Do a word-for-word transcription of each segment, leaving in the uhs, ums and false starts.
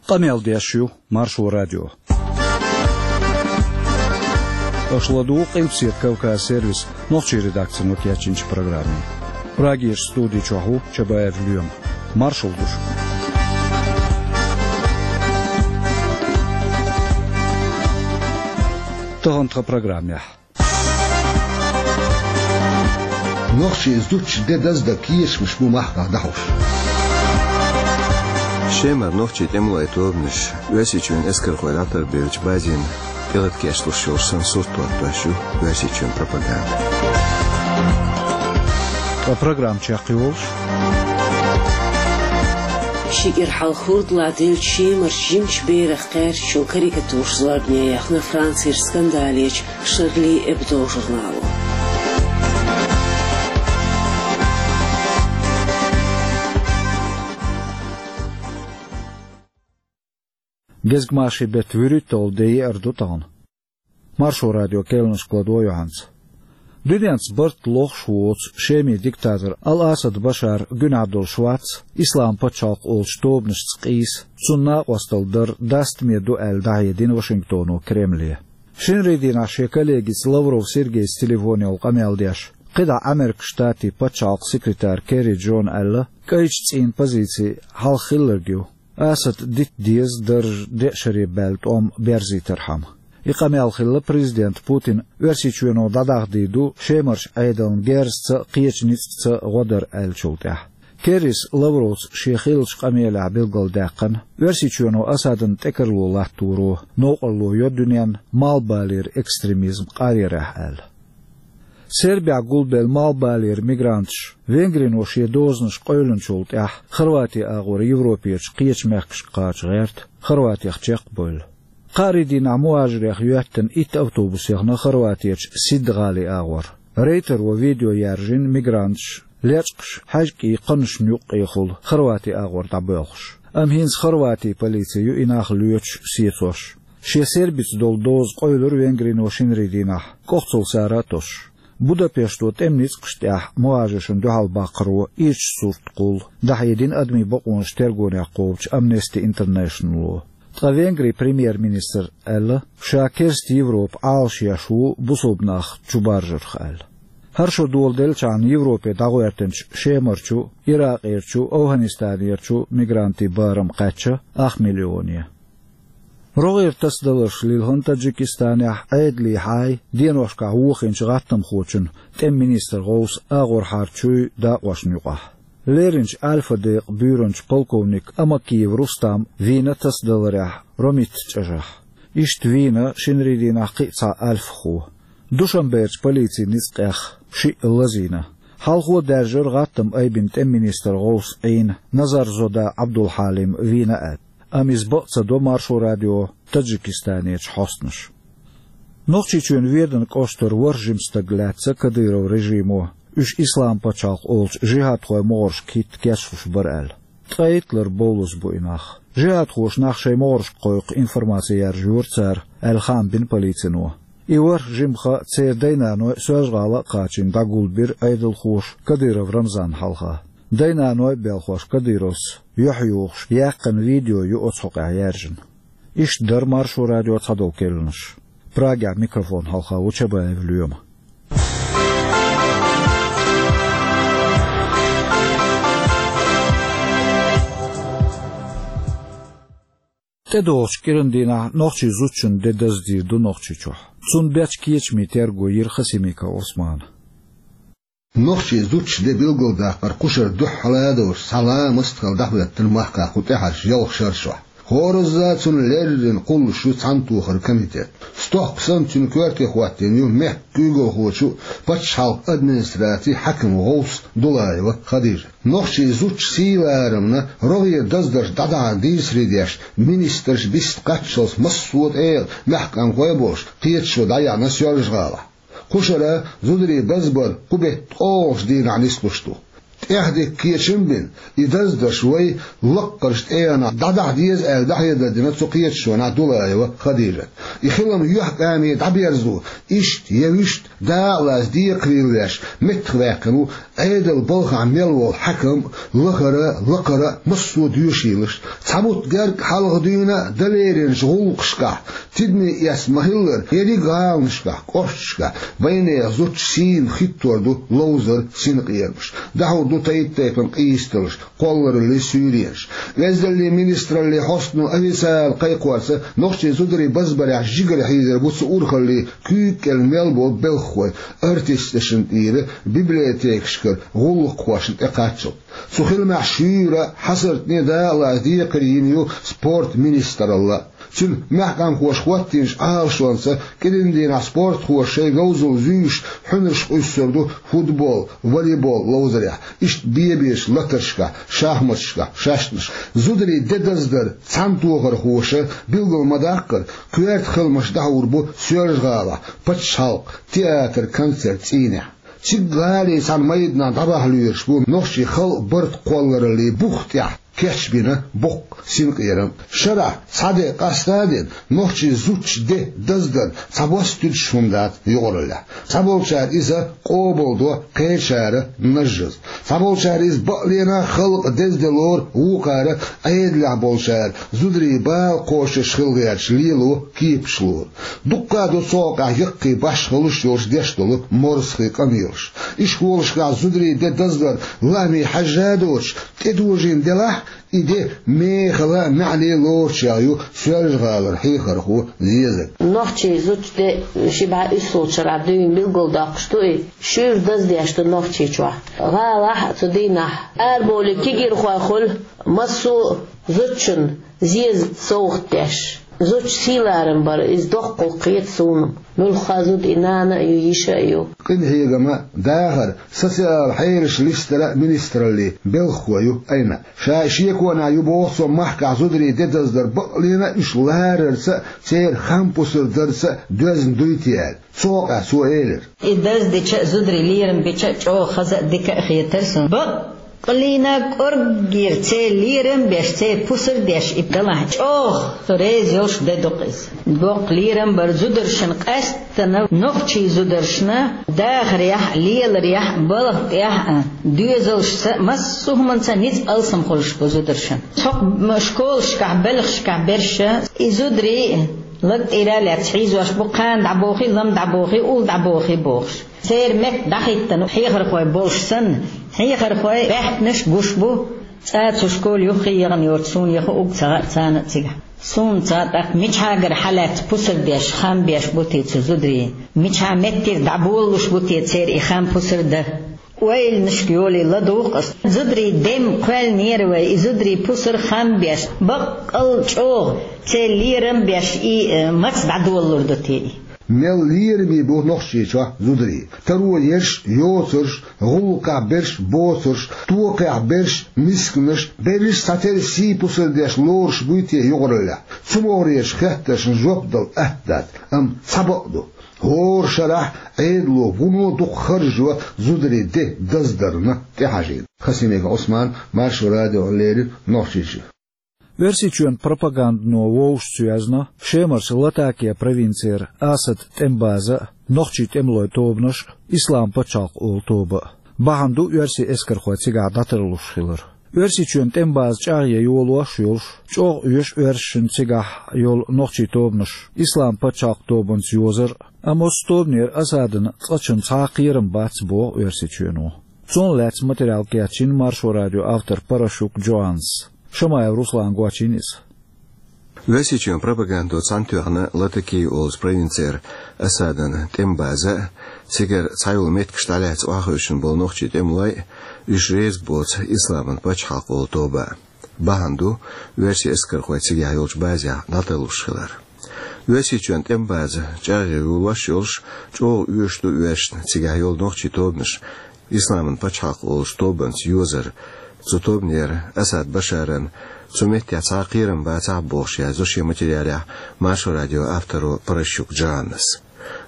Къамел деш ю Маршо радио. Аша ладугӀу Къилбаседа Кавказ сервисан нохчийн редакцино кечйинчу программе. Прагерчу студи чохь ву Чабаев Лоьма. Маршалла ду шуьга. Тахана тхан программехь. Нохчийн зудчун де даздан кечамаш бу махках дӀахьош. Шемара нохчийн тӀемалойн тобанаш Оьрсийчоьнан эскархой дӀатарбеллачу базина тӀелата кечлуш йолуш санна сурт хӀоттош ю Оьрсийчоьнан пропаганда. Ткъа программа чекхйолуш. Ши кӀира хьалха хӀордалахь деллачу Шемарчу жимачу берах кхаьрдачун карикатураш зорбане яьхна Францера скандалечу Шарли Эбдо журнало. Гезгмашин беттан вуьрхӀитталгӀа де еара ду тахана. Маршо радион керланашка ладогӀа юьхьанца. Дуьненца барт лохуш а воцу Шеман диктатор Ал-Асад Башар гуьнахь долуш вац Ислам пачхьалкх олучу тобанашца къийса, цунна накъосталла дар дастаме ду аьлла дӀахьедина Вашингтоно Кремле. Шинарин дийнахь шен коллегица Лавров Сергейца телефон йолу къамел деш, кхидӀа Ӏамеркан Штатийн пачхьалкхан секретара Керри Джона аьлла, кӀайчу цӀийнан позици хьалха хилларг ю. Асада дита деза даржа деа шаре баьлла тӀом берзийтархьама. И къамел хилла президента Путина Оьрсийчоьно дӀадахадийр ду Шемарчу Ӏедална герзаца а, кхечу ницкъаца а гӀо дар аьллачул тӀаьхьа. Керрис Лавровца шен хиллачу къамелехь билгалдаьккхина, Оьрсийчоьно Асадна тӀекарло латторо новкъарло йо дуьненна малхбалера экстремизм къаръярехь аьлла. Сербехь гулбелла малхбалера мигранташ Венгрино шен дозанаш къевлинчул тӀаьхьа Хорвати агӀор Европерчу кхечу мехкашка кхача гӀерта, Хорватех чекх а бевлла. Кхаарин дийнахь мухӀажарех йоьттина итт автобус яхна Хорватерчу Сидд-гӀалин агӀор. Рейтеро видео яьржина мигранташ лечкъаш хьаьжкӀийн кханашна юккъехула Хорвати агӀор дӀабоьлхуш. Амма хӀинца Хорватин полици ю и нах лоьцуш, сецош. Шен сербица долу доза къевлира Венгрино шинарин дийнахь, кӀохцал сара а тосуш. Будапешто тӀеман ницкъашна тӀехь мухӀажаршна дуьхьал баккхаро ирча сурт кхуллу, дӀахьедина адамийн бакъонаш тергонех кхобучу Amnesty International-о. Ткъа Венгрин премьер-министра аьлла, ша керста Европа Ӏалашъеш ву бусалба нах чубаржарх аьлла. ХӀара шо доладеллачхьана Европе дӀагӀоьртинчу Шемарчу, Иракъерчу, АфгӀанистанерчу мигрантийн барам кхаьчна ах миллионе. РогӀера тасадаларш лилхина Таджикистанехь Ӏедалан хьайн деношкахь вохийначу гӀаттамхочун, тӀеман министран гӀовсан агӀорхьарчуй дакъошна юкъахь. Леринчу Альфа-декъан буьйранчу полковник Амакиев Рустама вийна тасадаларехь Ромитта чӀажахь. Иштта вийна шинарин дийнахь кхин а цхьа альфахо. Душанберчу полицин ницкъех шиъ лазийна. Хьалхо даьржира гӀаттам айбина тӀеман министран гӀовсан Ӏийна, Назарзода Ӏабдулхьалим вийна аьлла. Амма иза бакъ ца до Маршо радион Таджикистанерчу хьостанаша. Нохчийчоьнан Веданан кӀоштара ворхӀ жима стаг лаьцна Кадыров режимо, уьш Ислам пачхьалкх олучу жихӀадхойн могӀаршка хӀитта кечлуш бара аьлла. Ткъе итт лар бовлаза бу и нах. ЖихӀадхоша нах шайн могӀаршка кхойкху информаци яржайора цара, аьлла хаам бина полицино. И ворхӀ жимха церан дай-наной Соьлжа-ГӀала а кхачийна дӀагулбира Ӏедалхоша Кадыров Рамзанна хьалха. Дай-наной а, белхош Кадыровс юьхь-юхуш яьккхина видео ю оцу хьокъехь яьржина. Иштта дара Маршо радион цхьадолу керланаш. Прагехь микрофон хьалха ву Чабаев Лоьма. ТӀедогӀучу кӀиран дийнахь нохчийн зудчун де даздийр ду Нохчийчохь. Цунна бечу кечамийн терго йира Хасимиков Ӏусмана. Нохчийн зудчун де билгалдаккхар кху шарахь дуьххьара а долуш цхьа ламаст а хилла дӀахӀоьттина махкахь кху тӀаьхьарчу ялх шарахь. ХӀоразза а цунна леррина кхуллуш ю Цхьаьнатохаран комитет. Стохка санна цуьнан коьрте хӀоттийна ю мехкан куьйгалхочун а, пачхьалкхан администрацин хьаькаман гӀовс Дулаева Хадижа. Нохчийн зудчун сий-ларамна рогӀера даздарш дӀадахьар дийцаре деш, министраш бист кхаччалц массо а тӀера мехкан къамелхой а болуш, кхеташо дӀаяьхьна Соьлжа-ГӀалахь. Кху шарахь зударийн базбар кху беттан ткъолгӀачу дийнахь нислуш ду. ТӀехдика кечам бина, и даздарш вай лаккхарчу тӀегӀанах дӀадахьа деза аьлла, дӀахьедар дина цу кхеташонехь Дулаева Хадижата. И хилам юьхькӀаме дӀаберзо, иштта я вуьшта дакъалаца декхарийлла веш, меттахваьккхина ву Ӏедалан балхахь мел волу хьаькам а, лахара а, лакхара а массо а доьшийлаш. Цхьа бутт герга хьалха дуьйна а, дан леринчу гӀуллакхашкахь, тидаме эцна ма-хиллара, ерриг а гӀаланашкахь, кӀошташкахь, байнехан зудчун сийна хӀиттор ду ловзар, синкъерамаш. ДӀахьур ду тайп-тайпана къийсаллаш, кхоллараллин суьйренаш. Оьздангаллин министраллин хьостано официально кхайкхорца, нохчийн зударий базбарехь жигара хьийзар бу цу урхаллин куьйга кӀел мел болу белхахой, артисташна тӀера, библиотекашкара гӀуллакххошна тӀекхаччалц. Цу хиламехь шуьйра, хьасартане дакъалаца декхар йина ю спорт министралла. Цуьнан мехкамхоша хӀоттийначу Ӏалашонца, кӀиран дийнахь спортхоша шайн говзалла зуьйш, хьуьнарш къуьссур ду футбол, волейбол ловзарехь, иштта бен-бечу латаршкахь, шахматашкахь, шаьшнаш. Зударийн де даздар цхьаьнатохархоша билгал ма-даккхара, коьрта хиламаш дӀахьур бу Соьлжа-ГӀалахь пачхьалкхан театр-концерт цӀийнехь. Цига гӀалин цхьана майданахь дӀабахьа лоьруш бу нохчийн халкъан барт кхоллараллин бух тӀехь кечбина боккха синкъерам. Шарахь цхьа де къастадина, нохчийн зудчун де даздар цхьабосса туьдуш хӀума дац юкъараллехь. Цхьаболчара иза къобалдо, кхечара нажжаза. Цхьаболчара иза бакъ лена халкъан деза де лору, вукхара, Ӏедалехь болчара, зударийн бала кхочуш хила гӀерташ, лело кепаш лору. Дуккха а ду цу хьокъехь яккхий башхаллаш йолуш деш долу морзахий къамелаш. Ишколашкахь зударийн де даздар лаамийн хьаьжжа а доцуш, тӀедожийна делахь, и де мехала а, маьӀне а лоручех ю Соьлжа-ГӀалара хьехархо Зезаг. Нохчийн зудчун де ши бӀе уьссалгӀачу шарахь дуьйна билгалдоккхуш ду и, шуьйра даздеш ду Нохчийчохь. ГӀалахь а цу дийнахь арабовлий кегийрхой хуьлу, массо а зудчунна зеза совгӀат деш. Зудчун сий-ларам бар, иза доккха гӀуллакх хета суна. Муьлхха а зуда и нана а ю, йиша а ю. Къинхьегам а, дахар а, социалан хьелаш листаран а министраллин белхахо ю Айна. Ша шеконехь ю боху цо махкахь зударийн де даздар бакъ лена а, уьш ларарца а, церан хам пусар дарца а доьзна дуй те аьлла. Цу хьокъехь цо элира: И даздича а, зударийн лерам бича а чӀогӀа хаза а, дика а хетара суна. Бакъ Къилина кӀорггера церан лерам беш, церан пусар деш и далахь, чӀогӀа со реза йолуш де ду-кх иза. Боккха лерам бар зударшна къаьсттина, нохчийн зударшна дахарехь а, леларехь а, балха тӀехь а, доьзалшца а, массо а хӀуманца а ницкъ, алсам хуьлуш бу зударшна. Цхьа школашкахь, белхашкахь берш а, и зударий а лаг тӀера а лаьцна хьийзош бу, кхана дӀабохий, лама дӀабохий, улла дӀабохий бохуш. Церан метта дӀахӀиттина хьехархой болуш санна, хьехархой баьхкинарш гуш бу, цкъа а цу школе юххе яхана йоцу суна яха уггар ца хаьа царна а цигахь. Суна ца хаьа тӀаккха, мичахьагара хьалаьцна пусар деш, хам беш бу те цу зударийн, мичахьа меттера дӀаболалуш бу те церан и хам, пусар дан. Ойланашка йолий ладугӀу-кх ас. Зударийн дем кхоьллинера вай, и зударийн пусар, хам беш, баккъал чӀогӀа церан лерам беш, и, э, маца дӀадолалур ду те и? Мел лераме бу Нохчийчохь зударий. Таро ерш, йоцурш, гӀуллакхахь берш, боцурш, токхехь берш, мисканаш, берриш а цхьатерра сий-пусар деш лоруш буй те юкъараллехь? Цу могӀарерчу хеттаршна жоп дала атта дац, амма цхьа бакъ ду: хӀора шарахь Ӏедало вуно дукха харжо зударийн де даздарна тӀехьажийна. Хасимиков Ӏусман, Маршо радиона леррина, Нохчийчоь. Оьрсийчоьнан пропагандано вовшашца йоьзна Шемарчу Латакия провинцера Асадан тӀеман база а, нохчийн тӀемалойн тобанаш а, Ислам пачхьалкх олу тоба а. Бахьана ду оьрсийн эскархой цигахь дӀатарлуш хилар. Оьрсийчоьнан тӀеман база чӀагӀъян йолош а йолуш, чӀогӀа оьшу оьрсашна цигахь йолу нохчийн тобанаш Ислам пачхьалкх тобанца йозар а, амма оцу тобанера Асадана цкъачунна цхьа а кхерам бац, боху Оьрсийчоьно. Цунах лаьцна материал кечйина Маршо радион автора Паращук Джоаннас. Шамаев Руслана гочйина иза. Оьрсийчоьнан пропагандо цхьаьнатоьхна Латакия олучу провинцера Асадан тӀеман база а, цигара цхьайолу меттигаш дӀалаьцна охьахевшина болу нохчийн тӀемалой а, уьш реза боцу Исламан пачхьалкх олу тоба а. Бахьана ду оьрсийн эскархой цигахь йолчу базехь дӀатарлуш хилар. Оьрсийчоьнан тӀеман база чӀагӀъян йолош а йолуш, чӀогӀа оьшуш ду оьрсашна цигахь йолу нохчийн тобанаш Исламан пачхьалкх олучу тобанца йозар, цу тобанера Асад Башарна цу меттехь цхьа а кхерам бацахь а бохуш, яздо шен материалехь Маршо радион автора Паращук Джоаннас.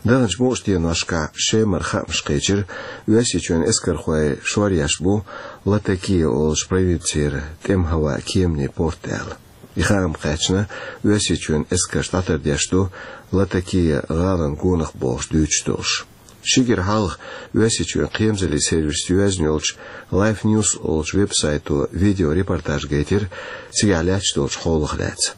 Даханчу мукъа деношкахь Шемара хаамаш кхечира, Оьрсийчоьнан эскархой шоръеш бу Латакия олучу провинцера тӀеман хӀаваан кеманийн порт аьлла. И хаам кхаьчна, Оьрсийчоьнан эскарш дӀатардеш ду Латакия гӀалин гонах бохуш дуьйцуш долуш. Ши кӀира хьалха Оьрсийчоьнан кхерамзаллин сервисо йоьзна йолчу Life News олучу веб-сайто видеорепортаж гайтира цигахь лаьтташ долчу хьолах лаьцна.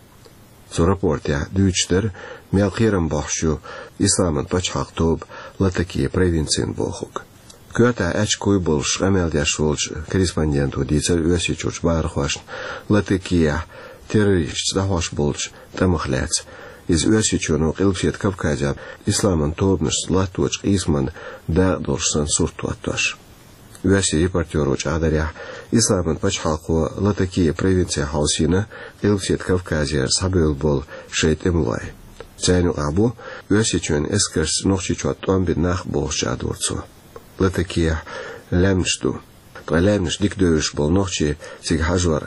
Цу рапортехь дуьйцуш дара, мел кхерам бохьуш ю Исламан пачхьалкх тоба Латакия провинцина бохург. Коьртехь аьчка куй болуш къамел деш волчу корреспонденто дийцира Оьрсийчуьрчу бахархошна, Латакияхь террористашца дӀахьош болчу тӀамах лаьцна. Иза Оьрсийчоьно Къилбаседа Кавказехь исламан тобанашца латточу къийсаман дакъа долуш санна сурт хӀоттош. Оьрсийн репортеро чӀагӀдарехь, Исламан пачхьалкхо Латакия провинцехь хьовсийна Къилбаседа Кавказера схьабевлла болу шайн тӀемалой. Царна юкъахь бу Оьрсийчоьнан эскаршца Нохчийчохь тӀом бина нах бохуш чӀагӀдора цо. Латакияхь лаьмнаш ду. Ткъа лаьмнаш дика девзаш болу нохчий цига хьажор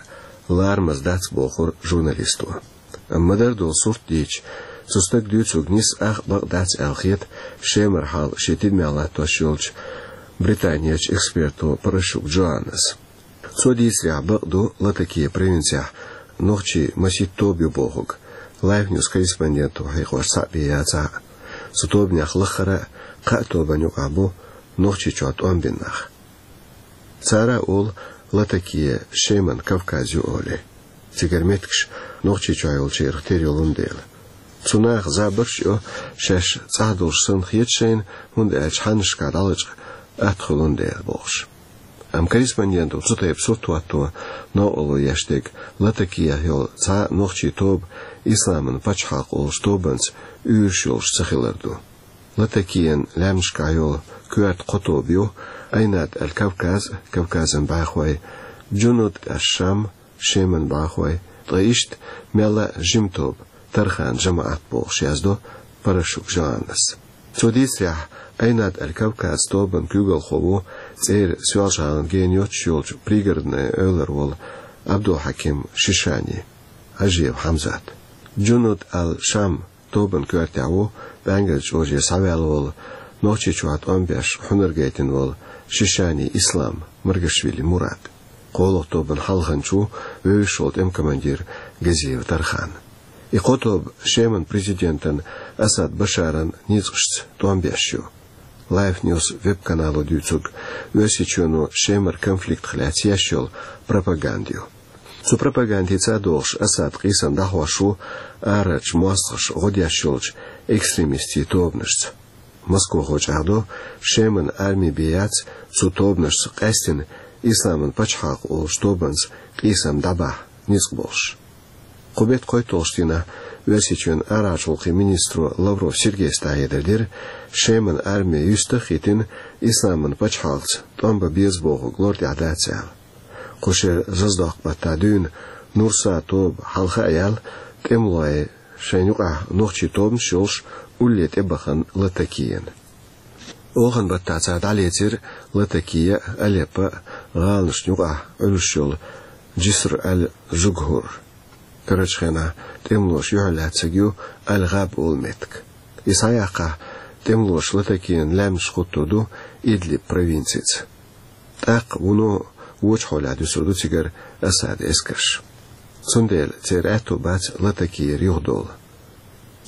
ларамаза дац, бохура журналисто. Амма ма-дарра долу сурт дийцича, цу стага дуьйцург нийса а, бакъ дац аьлла хета Шемара хьал шен тидамехь латтош йолчу Британерчу эксперто Парашук Джоаннас. Цо дийцарехь, бакъ ду Латакия провинцехь нохчийн масийтта тоба ю бохург, Life News корреспонденто хьекхош цхьаъ бен яцахь а. Цу тобанех лаххара а кхаа тобанна юкъахь бу Нохчийчохь тӀом бина нах. Цара олу Латакия Шеман Кавказ ю олий. Цигара меттигаш Нохчийчохь йолчарах тера йолун дела. Цу наха забарш а йо, шаьш цӀахь долуш санна хета шайна, хӀунда аьлча хьаннашкахь дӀалачкъа атта хуьлун дела бохуш. Амма корреспонденто цу тайпа сурт хӀотто новкъарло еш дерг Латакиехь йолу цхьа а нохчийн тоба Исламан пачхьалкх олуш тобанца уьйраш йолуш ца хилар ду. Латакиян лаьмнашкахь йолу коьрта кхо тоба ю: Айнад аль-Кавказ, Кавказан бӀаьхой, Джунуд аш-Шам, Шеман бӀаьхой, ткъа иштта мелла а жима тоба, Тархан жамаӀат бохуш, яздо Парашук Джоаннас. Цо дийцарехь, Айнад аль-Кавказ тобан куьйгалхо ву цӀера Соьлжа-ГӀалана гена йоццуш йолчу Пригородное эвлара волу Абдулхьаким Шишани, Хьажиев Хьамзат. Джунуд аль-Шам тобан коьртехь ву ПӀаьнгалчу оже схьаваьлла волу, Нохчийчохь тӀом беш хьунар гайтина волу Шишани Ислам, Маргашвили Мурад. КхоалгӀа тобан хьалханча ву вевзаш волу тӀеман командир Газиев Тархан. И кхо тоба Шеман президентан Асад Башаран ницкъашца тӀом беш ю. Life News веб-канало дуьйцург, Оьрсийчоьно Шемара конфликтах лаьцна еш йолу пропаганда ю. Цу пропагандица а догӀуш, Асад къийсам дӀахьош ву арарчу мостагӀаша гӀо деш йолчу экстремистийн тобанашца. Москвахо чӀагӀдо, Шеман арми бен яц цу тобанашца къаьстина Исламан пачхьалкх олуш тобанца къийсам дӀабахьа ницкъ болуш. Кху беттан кхойтталгӀачу дийнахь Оьрсийчоьнан арахьарчу гӀуллакхийн министро Лавров Сергейс дӀахьедар дира, Шеман арми юьстах а хӀиттина, Исламан пачхьалкхца тӀом бан беза бохург лар тӀехь дац аьлла. Кху шеран заздоккху баттахь дуьйна Нурса тоба хьалха а яьлла, тӀемалой шайна юкъахь нохчийн тобанаш йолуш улле тӀебахана Латакияна. Оханан баттахь цара дӀалецира Латакия а, Алеппо а гӀаланашна юкъахь Ӏуьллуш йолу Джиср аль-Жугхур. Карарчу хенахь тӀемалоша юьхьарлаьцнарг ю Аль-ГӀаб олу меттиг. И схьаяккхахь, тӀемалоша Латакиян лаьмнаш хӀуттур ду Идлиб провинцица. ТӀаккха вуно вочу хьолехь дуьсур ду цигара Асадан эскарш. Цундела церан аьтто бац Латакияра юхадовла.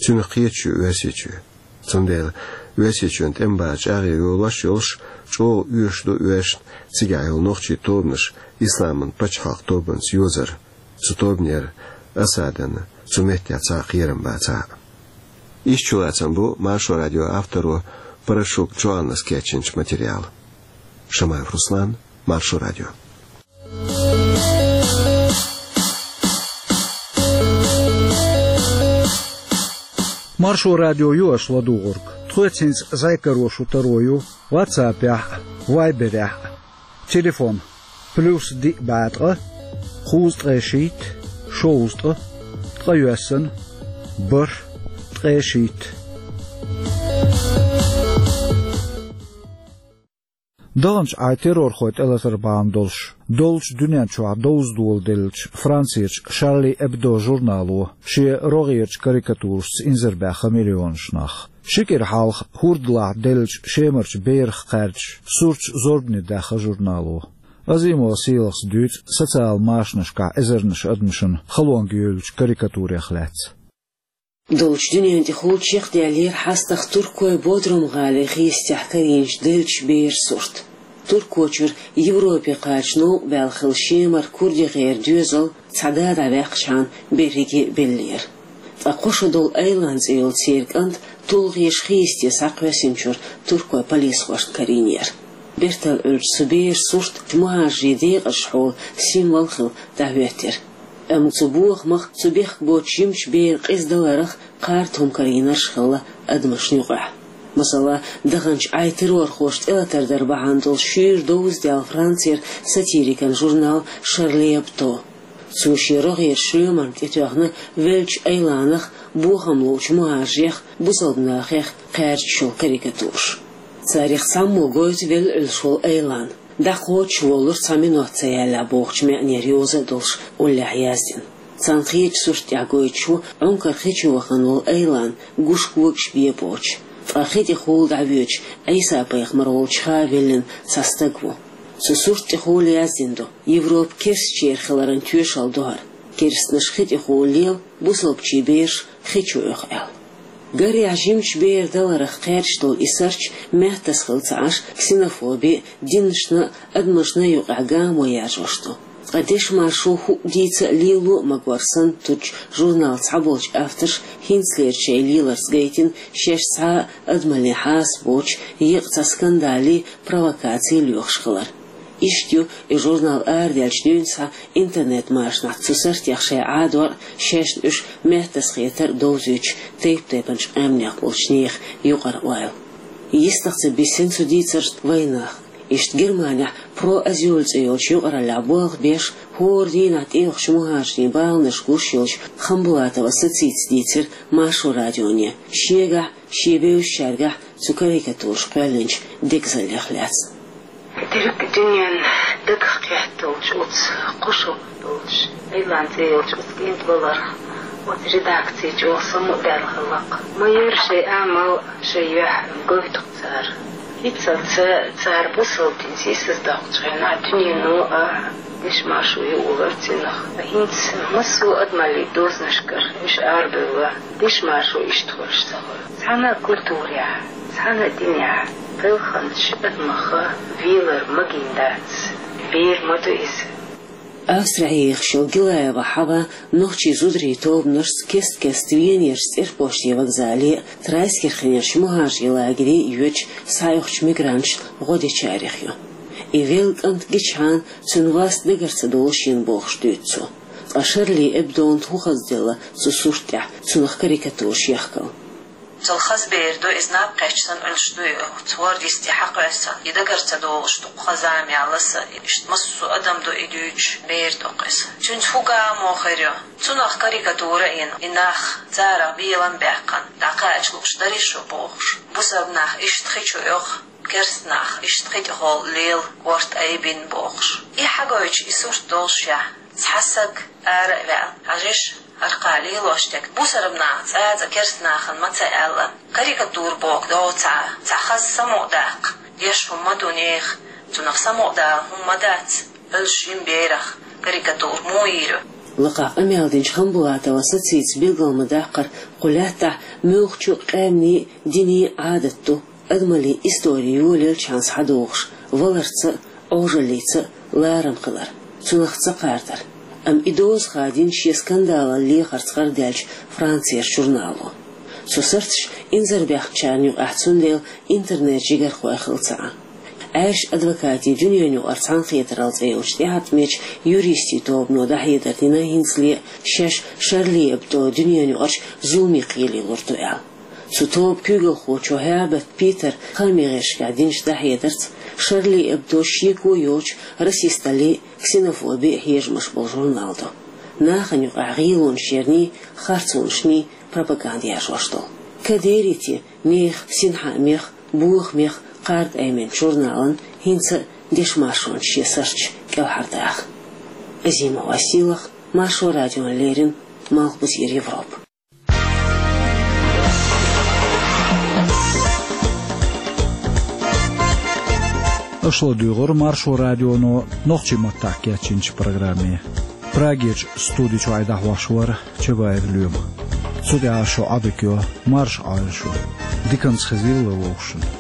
Цуьнах кхеташ ю Оьрсийчоь. Цундела Оьрсийчоьнан тӀеман база чӀагӀъян йолош йолуш, чӀогӀа оьшуш ду оьшна цигахь йолу нохчийн тобанаш Исламан пачхьалкх тобанца йозар, цу тобанера Асадан цу меттехь цхьа а кхерам бацахь а. Иштта чулацам бу Маршо радион авторо Парашук Джоаннас кечйинчу материалан. Шамаев Руслан, Маршо радио. Маршо радио ю аша ладугӀург. Тхоьца хӀинца зӀе каро шун таро ю WhatsApp-ехь а, Viber-ехь а. Телефон: плюс диъ бӀе ткъа, кхузткъе шийтта, шовзткъа, ткъе йоьссана, бархӀ, ткъе шийтта. Даханчу Ӏай террорхойн тӀелатар бахьана долуш, доллучу дуьнен чохь довза доладеллачу Францерчу Шарли Эбдо журнало шен рогӀерачу карикатурашца инзарбаьхна миллионаш нах. Ши кӀира хьалха хӀордалахь деллачу Шемарчу берах кхаьрдаш сурташ зорбане даьхна журнало. Азимова Сийлахас дуьйцу социал машанашкахь эзарнаш адамашна халонга йовлучу карикатурех лаьцна. Долчу дуьнен тӀехула чекхдаьллера хьастагӀа Туркойн Бодрум-гӀалин хестехь карийначу деллачу беран сурт. Туркойчуьра Европе кхача новкъа баьлла хилла Шемара курдигера доьзал цхьа да дӀаваьккхичхьана берриге а беллера. Ткъа кхо шо долу Айлан цӀе йолу церан кӀант тулгӀеша хесте схьакхоьссинчуьра туркойн полисхошна карийнера. Бертал Ӏуьллучу цу беран сурт мухӀажарийн декъашхьолан символ хилла дӀахӀоьттира. Амма цу бохамах, цу бехк боцчу жимачу беран къиза даларах кхарда хӀума карийнарш хилла адамашна юкъахь. Масала, даханчу Ӏай террорхоша тӀелатар дар бахьана долу шуьйра довза даьлла Францера сатирикан журнал «Шарли Эбдо». Цо шен рогӀера шоьмарна тӀетоьхна веллачу Айланах, бохам луучу мухӀажарех, бусалба нахех кхаьрдаш йолу карикатураш. Царах цхьаммо гойту велла Ӏуьллуш волу Айлан. ДӀакхочуш воллура цхьа минот ца яьллехь бохучу маьӀнера йовза а долуш уллехь яздина. Цхьана кхечу сурт тӀехь гойтуш ву Ӏункара хи чу вахана волу Айлан, гуш когаш бен боцуш. Ткъа хи тӀехула дӀавоьдуш Ӏийса-пайхамар волчу хан веллина цхьа стаг ву. Цу сурт тӀехула яздина ду: «Европа керстачеран хиларан тоьшалла ду хӀара. Керстанаш хи тӀехула лела, бусалбачийн бераш хи чу оьху», — аьлла. Гарехь, жимачу беран даларах кхаьрдаш долу и сурташ меттаза хилла ца Ӏаш, ксенофоби а, динашна а, адамашна а юкъахь гамо яржош ду. Ткъа дешмашо хӀуъа дийца а, лело а магор санна туьдучу журналан цхьаболчу авторша хӀинцалера шайн леларца гайтина шаьш цхьа а адамаллин хьаса боцуш, еккъа цхьа скандалий, провокаций лоьхуш хилар. Иштта ю и журнал арадаьллачу дуьйна схьа интернет-машанахь цу суртех шайн Ӏадор а, шаьшна уьш меттаза хетар а довзуьйтуш тайп-тайпанчу къаьмнех болчу нехан юкъара ойла. Йистах ца бисина цу дийцаршна вайнах. Иштта Германехь «Про Азюль» цӀе йолчу юкъараллехь болх беш, хӀора дийнахь тӀейогӀучу мухӀажарийн баланаш гуш йолчу Хамбулатова Сацица дийцира Маршо радионе шегахь, шен бевзачаьргахь цу карикатураш кхоьллинчу дегазаллех лаьцна. Дерриг дуьненна дагах кхетта долчу оцу кхо шо долчу Айлан цӀе йолчу оцу кӀентан валарх оцу редакци чӀогӀа самукъадаьлла хилла-кх. Ма яра шайн амал, шайн юьхь гойту-кх цара. ХӀинццалц цара бусалба дин сийсаздоккхучу хенахь дуьнено а дешмашо юур вара цунах. ХӀинца массо а адамаллин дозанашкара уьш арабевлла, дешмашо иштта хуьлуш ца хуьлу. Цхьана а культурехь, цхьана а динехь гӀелханчу адамах велар магийна дац. Бер ма ду иза. Австрехь ехаш йолу Гилаева Хьава нохчийн зударийн тобанашца кест-кеста Венерчу цӀерпоште вокзале а, Трайскирхенерчу мухӀажарийн лагере а йоьдуш схьаоьхучу мигранташна гӀо дечарех ю. И велла кӀант гичхьана, цуьнан вас дагар ца долуш йина бохуш дуьйцу цо. Ткъа «Шарли Эбдона» хӀун хазделла цу сурт тӀехь цунах карикатураш яхкал? Цул хаза бер ду иза, наб кхаьчча санна Ӏуьллуш ду и, оцу хӀорда йисте хьакхоьссина, и дагар ца долуш ду-кх, хаза ма яьлла аса, иштта массо а адам ду и дуьйцуш, бер ду-кх иза. Цуьнца хӀун гамо хир ю? Цунах карикатура а йина, и нах царах белам а баьккхина, дӀакхача лууш дарий шу бохуш, бусалба нах иштта хи чу оьху, керста нах иштта хи тӀехула лела, корта айбина бохуш. И хьагойтуш и сурт доллушехь, цхьа саг ара а ваьлла, хьажийша, хӀара кхин лелош дерг бусалба наха цӀа а цӀа керста нахана ма ца аьлла. Карикатура бохург доцу цхьа, цхьа хаза самукъадаккха деш хӀума ма ду нехан, цунах самукъадала хӀума ма дац, Ӏуьллуш йина берах карикатура муха йийр ю? Лакхахь къамел динчу Хамбулатова Сацица билгал ма даккхара, кху лаьттахь муьлххачу къаьмнийн, динийн Ӏадат ду адамаллин истори йолаелчхьана схьадогӀуш, валарца а, Ӏожаллица а ларам хилар, цунах ца кхардар. Амма и доза хадийна шен скандалан лехарца гӀардаьллачу Францерчу журнало. Цу сурташа инзарбаьхначарна юкъахь цундела интернет-жигархой хилла ца Ӏа. Ӏаьржачу адвокатийн дуьненаюкъара цхьаьнакхетаралла цӀе йолчу тӀеӀаткъамечу юристийн тобано дӀахьедар дина хӀинцале а, шаьш «Шарли Эбдо» дуьненаюкъарчу зуламе кхеле лур ду аьлла. Цу тобан куьйгалхочо ХӀерберт Питера хаамийн гӀирсашкахь динчу дӀахьедарца, «Шарли Эбдо» шеко йоцчу расисталлин, ксенофобин хьежамаш болу журнал ду. Нахана юкъахь гӀелонаш ярний, харцонашний пропаганда яржош долу. Кадерийти нехан синхаамех, бохамех кхарда айменчу журналан хӀинца а дешмашонца шен сурташ кӀелхьардаха. Азимова Сийлахь, Маршо радиона леррина, Малхбузера Европа. Аша ладугӀура Маршо радионо нохчийн маттахь кечйинчу программе. Прагерчу студи чохь дӀахьош вара Чабаев Лоьма. Цу тӀехь шун Ӏодика йо, марша Ӏойла шу. Диканца хезийла вовшашна.